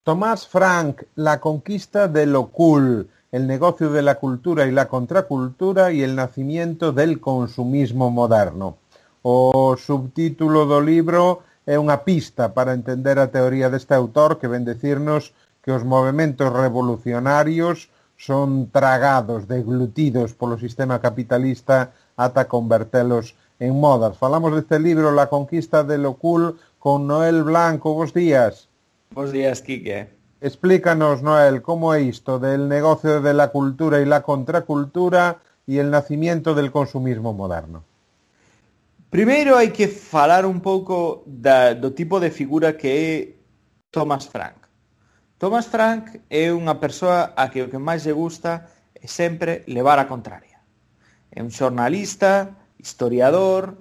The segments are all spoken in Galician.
Tomás Frank, La conquista de lo cool, el negocio de la cultura y la contracultura y el nacimiento del consumismo moderno. O subtítulo do libro é unha pista para entender a teoría deste autor que ven decirnos que os movementos revolucionarios son tragados, deglutidos polo sistema capitalista ata convertelos en modas. Falamos deste libro La conquista de lo cool con Noel Blanco. Bos días. Bos días, Quique. Explícanos, Noel, cómo é isto del negocio de la cultura y la contracultura y el nacimiento del consumismo moderno. Primeiro hai que falar un pouco do tipo de figura que é Thomas Frank. Thomas Frank é unha persoa a que o que máis lle gusta é sempre levar a contraria. É un xornalista, historiador.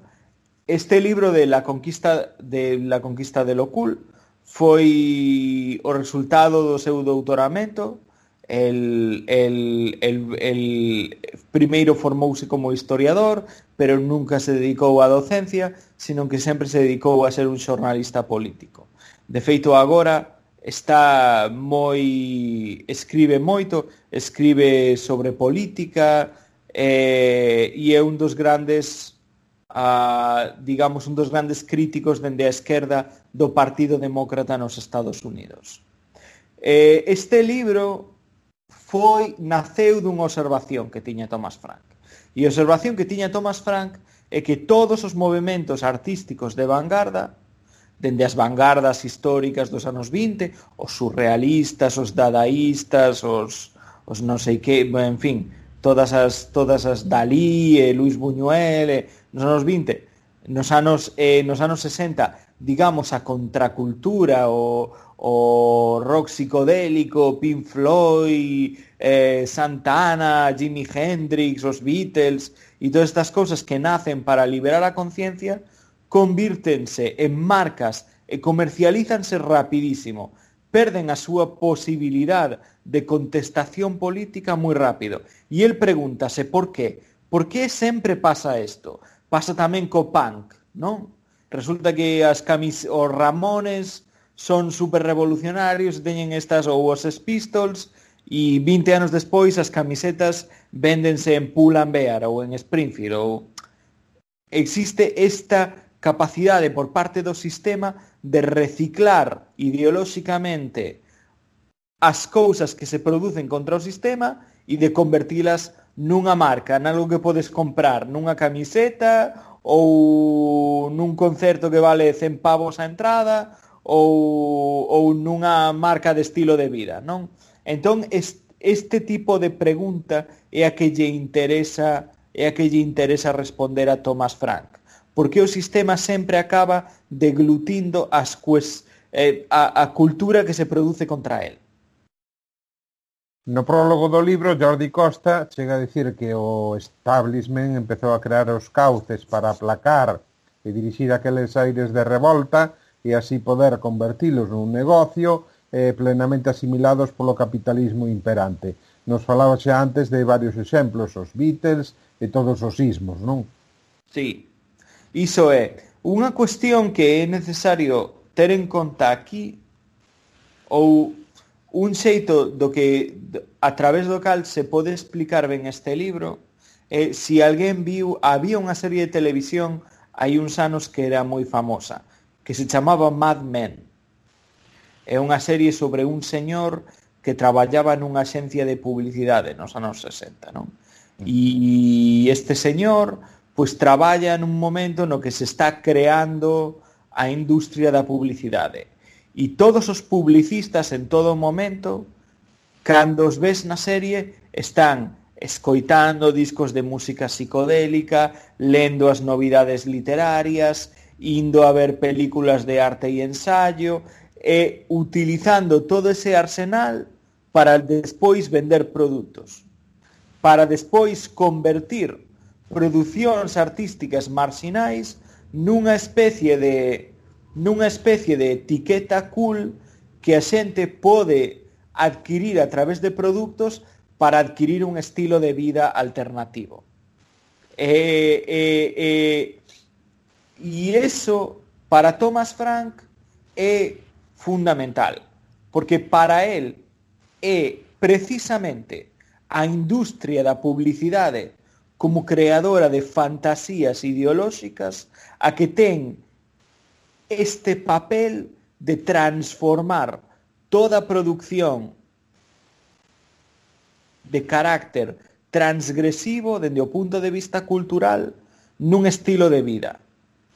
Este libro de La conquista de lo cool foi o resultado do seu doutoramento. El primeiro formouse como historiador, pero nunca se dedicou á docencia, sino que sempre se dedicou a ser un xornalista político. De feito, agora escribe moito, escribe sobre política, e é un dos grandes un dos grandes críticos dende a esquerda do Partido Demócrata nos Estados Unidos. Este libro naceu dunha observación que tiña Thomas Frank. E a observación que tiña Thomas Frank é que todos os movementos artísticos de vanguarda, dende as vanguardas históricas dos anos 20, os surrealistas, os dadaístas, os non sei que, en fin, todas as Dalí, Luis Buñuel, nos anos 20, nos anos 60, digamos, a contracultura, o rock psicodélico, Pink Floyd, Santana, Jimi Hendrix, os Beatles e todas estas cousas que nacen para liberar a conciencia, convírtense en marcas e comercialízanse rapidísimo, perden a súa posibilidad de contestación política moi rápido. E el pregúntase por qué. Por que sempre pasa isto? Pasa tamén co punk, non? Resulta que os Ramones son super revolucionarios, teñen estas, ou os Pistols, e 20 anos despois as camisetas véndense en Pull&Bear ou en Springfield. Existe esta capacidade por parte do sistema de reciclar ideolóxicamente as cousas que se producen contra o sistema e de convertilas nunha marca, nalgo que podes comprar, nunha camiseta ou nun concerto que vale 100 pavos a entrada ou nunha marca de estilo de vida, non? Entón, este tipo de pregunta é a que lle interesa responder a Thomas Frank, porque o sistema sempre acaba deglutindo a cultura que se produce contra él. No prólogo do libro, Jordi Costa chega a dicir que o establishment empezou a crear os cauces para aplacar e dirixir aqueles aires de revolta e así poder convertilos nun negocio plenamente asimilados polo capitalismo imperante. Nos falaba xa antes de varios exemplos, os Beatles e todos os ismos, non? Sí, iso é unha cuestión que é necesario ter en conta aquí, ou un xeito do que a través do cal se pode explicar ben este libro. Se alguén viu, había unha serie de televisión hai uns anos que era moi famosa, que se chamaba Mad Men. É unha serie sobre un señor que traballaba nunha axencia de publicidade nos anos 60, non? E este señor pois traballa nun momento no que se está creando a industria da publicidade. E todos os publicistas en todo momento, cando os ves na serie, están escoitando discos de música psicodélica, lendo as novidades literarias, indo a ver películas de arte e ensayo, e utilizando todo ese arsenal para despois vender produtos, para despois convertir producións artísticas marxinais nunha especie de etiqueta cool que a xente pode adquirir a través de produtos para adquirir un estilo de vida alternativo. E iso, para Thomas Frank, é fundamental. porque para él é precisamente a industria da publicidade como creadora de fantasías ideolóxicas a que ten este papel de transformar toda a producción de carácter transgresivo dende o punto de vista cultural nun estilo de vida.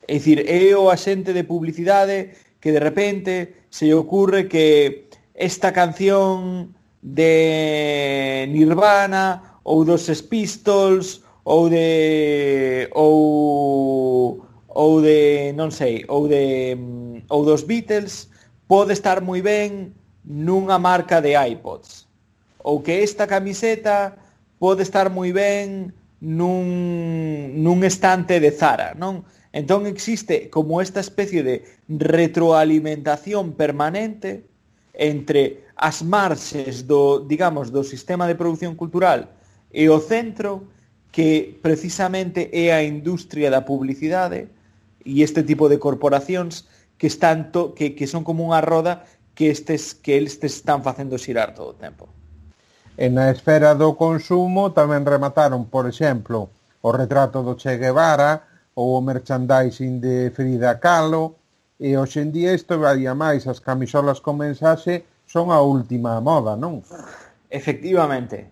É dicir, é o axente de publicidade que de repente se lle ocurre que esta canción de Nirvana ou dos Sex Pistols ou non sei, ou dos Beatles pode estar moi ben nunha marca de iPods, ou que esta camiseta pode estar moi ben nun estante de Zara, non? Entón existe como esta especie de retroalimentación permanente entre as marxes do, digamos, do sistema de produción cultural e o centro, que precisamente é a industria da publicidade e este tipo de corporacións que son como unha roda que eles están facendo xirar todo o tempo. E na esfera do consumo tamén remataron, por exemplo, o retrato do Che Guevara ou o merchandising de Frida Kahlo, e hoxe en día isto vai a máis, as camisolas con mensaxe son a última moda, non? Efectivamente.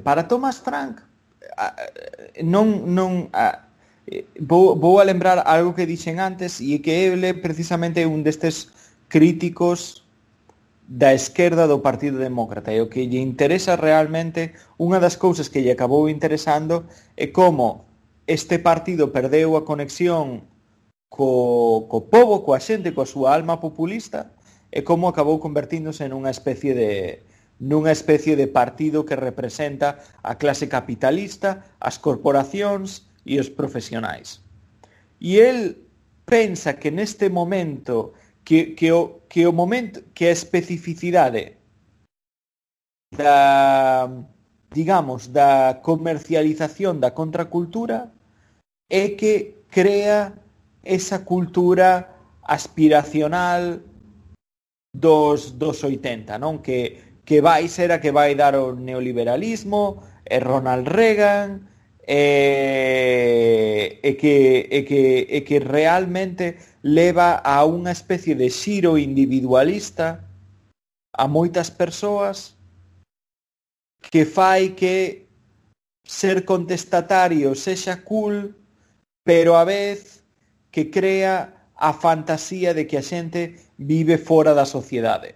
Para Thomas Frank, vou a lembrar algo que dixen antes, e que ele precisamente é un destes críticos da esquerda do Partido Demócrata, e o que lle interesa realmente, unha das cousas que lle acabou interesando é como este partido perdeu a conexión co pobo, coa xente, coa súa alma populista, e como acabou convertíndose nunha especie de partido que representa a clase capitalista, as corporacións e os profesionais. E el pensa que neste momento que a especificidade da comercialización da contracultura é que crea esa cultura aspiracional dos 80, non? Que vai ser a que vai dar o neoliberalismo, e Ronald Reagan, e que realmente leva a unha especie de xiro individualista a moitas persoas, que fai que ser contestatario sexa cool, pero a vez que crea a fantasía de que a xente vive fora da sociedade.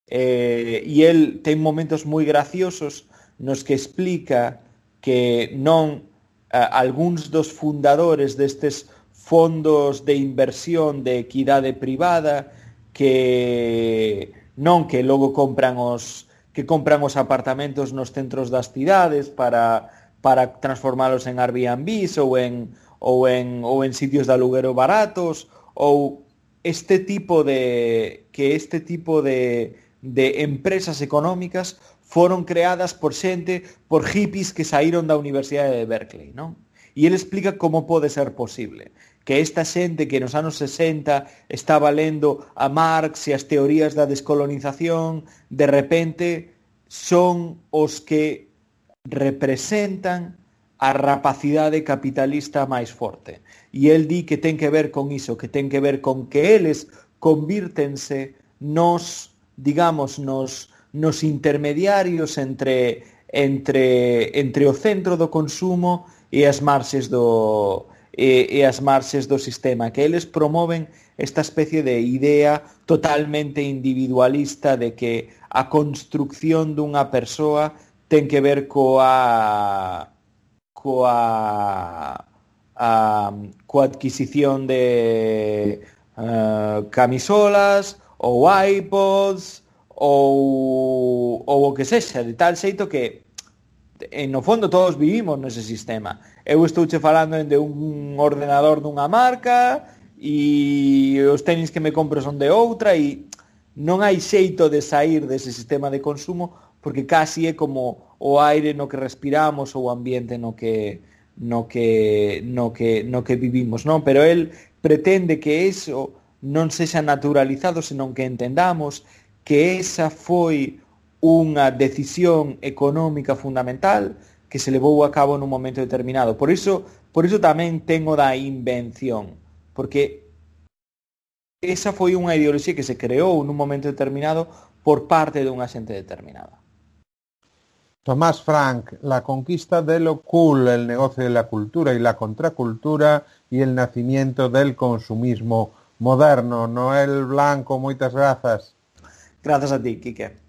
E el ten momentos moi graciosos nos que explica que non algúns dos fundadores destes fondos de inversión de equidade privada que logo compran os apartamentos nos centros das cidades para transformalos en Airbnbs ou en sitios de aluguero baratos, ou este tipo de empresas económicas foron creadas por hippies que saíron da Universidade de Berkeley, non? E ele explica como pode ser posible que esta xente que nos anos 60 estaba lendo a Marx e as teorías da descolonización, de repente son os que representan a rapacidade capitalista máis forte. E el di que ten que ver con iso, que ten que ver con que eles convírtense nos intermediarios entre o centro do consumo e as marxes do sistema, que eles promoven esta especie de idea totalmente individualista de que a construcción dunha persoa ten que ver coa adquisición de camisolas ou iPods ou o que sexa, de tal xeito que no fondo todos vivimos nese sistema. Eu estouche falando de un ordenador dunha marca e os tenis que me compro son de outra, e non hai xeito de sair dese sistema de consumo, porque casi é como o aire no que respiramos ou o ambiente no que vivimos, non? Pero el pretende que eso non sexa naturalizado, senón que entendamos que esa foi unha decisión económica fundamental que se levou a cabo nun momento determinado. Por iso tamén tengo da invención, porque esa foi unha ideoloxía que se creou nun momento determinado por parte dunha xente determinada. Tomás Frank, la conquista de lo cool, el negocio de la cultura y la contracultura y el nacimiento del consumismo moderno. Noel Blanco, moitas grazas. Grazas a ti, Quique.